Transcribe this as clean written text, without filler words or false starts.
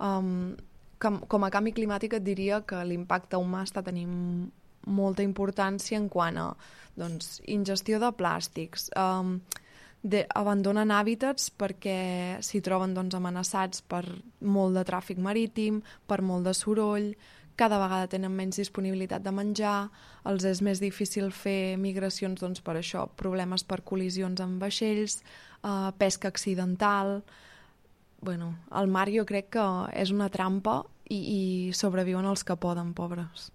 Com a canvi climàtic et diria que l'impacte humà està tenint molta importància en quant a ingestió de plàstics, abandonen hàbitats perquè s'hi troben amenaçats per molt de tràfic marítim, per molt de soroll, cada vegada tenen menys disponibilitat de menjar, els és més difícil fer migracions per això, problemes per col·lisions amb vaixells, pesca accidental. El mar jo crec que és una trampa i sobreviuen els que poden, pobres.